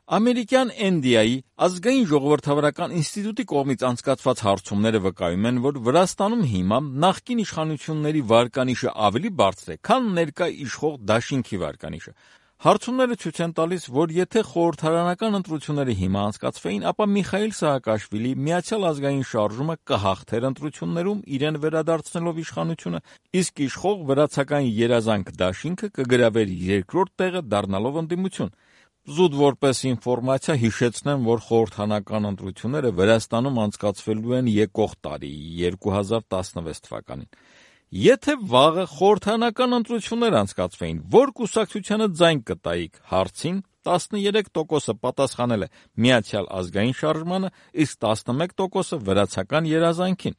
Ամերիկյան NDI ազգային ժողովրդավարական ինստիտուտի կողմից անցկացված հարցումները վկայում են, որ Վրաստանում հիմա նախկին իշխանությունների վարկանիշը ավելի բարձր է, քան ներկա իշխող դաշինքի վարկանիշը։ Հարցումները ցույց են տալիս, որ եթե խորհրդարանական ընտրությունները հիմա անցկացվեին, ապա Միխայիլ Սահակաշվիլի Միացյալ ազգային շարժումը կհաղթեր ընտրություններում իրեն վերադարձնելով իշխանությունը, իսկ իշխող վրացական երազանք դաշինքը կգրավեր երկրորդ տեղը, դառնալով ընդդիմություն։ Զուտ որպես ինֆորմացիա հիշեցնեմ, որ խորհրդարանական ընտրությունները Վրաստանում անցկացվելու են եկող տարի 2016 թվականին։ Եթե վաղը խորհրդարանական ընտրություններ անցկացվեին, որ կուսակցությանը ձայն կտայիք հարցին, 13%-ը պատասխանել է Միացյալ ազգային շարժմանը, իսկ 11%-ը վրացական երազանքին։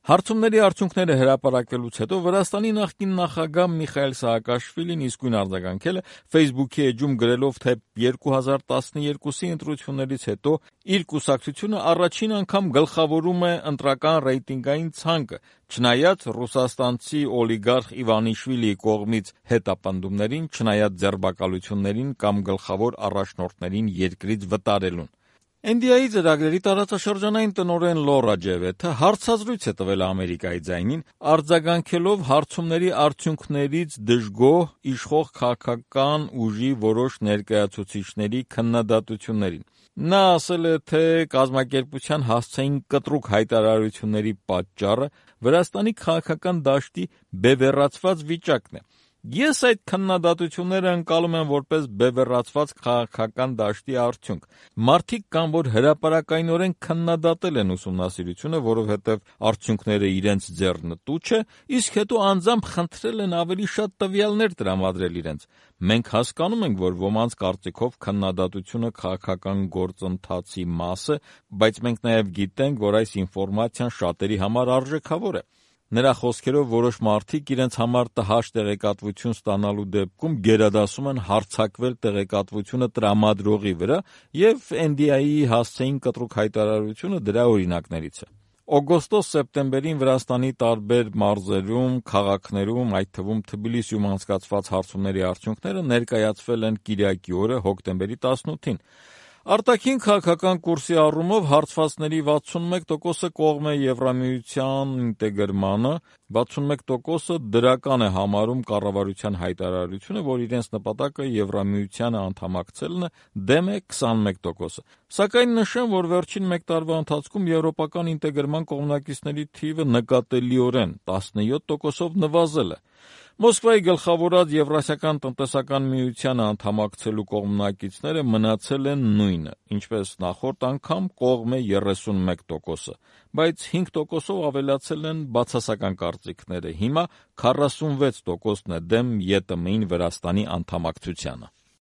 Հարցումների արդյունքները հրապարակվելուց հետո Վրաստանի նախկին նախագահ Միխայիլ Սահակաշվիլին իսկույն արձագանքել է Facebook-ի էջում գրելով, թե 2012-ի ընտրություններից հետո իր կուսակցությունը առաջին անգամ գլխավորում է ընտրական ռեյտինգային ցանկը, չնայած ռուսաստանցի օլիգարխ Իվանիշվիլիի կողմից հետապնդումներին, չնայած ձերբակալություններին կամ գլխավոր առաջնորդներին երկրից վտարելուն։ NDI ծրագրերի տարածաշրջանային տնօրեն Լորա Ջևեթը հարցազրույց է տվել Ամերիկայի ձայնին, արձագանքելով հարցումների արդյունքներից դժգոհ իշխող քաղաքական ուժի որոշ ներկայացուցիչների քննադատություններին։ Նա ասել է, թե կազմակերպության հասցեին կտրուկ հայտարարությունների պատճառը Վրաստանի քաղաքական դաշտի բևեռացված վիճակն է։ Ես այդ քննադատությունները ընկալում եմ որպես բևեռացված քաղաքական դաշտի արդյունք։ Մարդիկ կան, որ հրապարակայնորեն քննադատել են ուսումնասիրությունը, որովհետև արդյունքները իրենց ձեռնտու չէ, իսկ հետո անձամբ խնդրել են ավելի շատ տվյալներ տրամադրել իրենց։ Մենք հասկանում ենք, որ ոմանց կարծիքով քննադատությունը քաղաքական գործընթացի մաս է, բայց մենք նաև գիտենք, որ այս ինֆորմացիան շատերի համար արժեքավոր է։ Նրա խոսքերով որոշ մարդիկ իրենց համար տհաճ տեղեկատվություն ստանալու դեպքում գերադասում են հարձակվել տեղեկատվությունը տրամադրողի վրա, եւ NDI-ի հասցեին կտրուկ հայտարարությունը դրա օրինակներից է։ Օգոստոս-սեպտեմբերին Վրաստանի տարբեր մարզերում, քաղաքներում, այդ թվում Թբիլիսիում անցկացված հարցումների արդյունքները ներկայացվել են կիրակի օրը, հոկտեմբերի 18-ին։ Արտաքին քաղաքական կուրսի առումով հարցվածների 61%-ը կողմ է Եվրամիության ինտեգրմանը, 61%-ը դրական է համարում կառավարության հայտարարությունը, որ իրենց նպատակը Եվրամիությանը անդամակցելն է, դեմ է 21%-ը։ Սակայն նշեմ, որ վերջին մեկ տարվա ընթացքում եվրոպական ինտեգրման կողմնակիցների թիվը նկատելիորեն 17%-ով նվազել է։ Մոսկվայի գլխավորած Եվրասիական տնտեսական միությանը անդամակցելու կողմնակիցները մնացել են նույնը, ինչպես նախորդ անգամ կողմ է 31%-ը, բայց 5%-ով ավելացել են բացասական կարծիքները, հիմա 46%-ն է դեմ ԵՏՄ-ին Վրաստանի անդամակցությանը։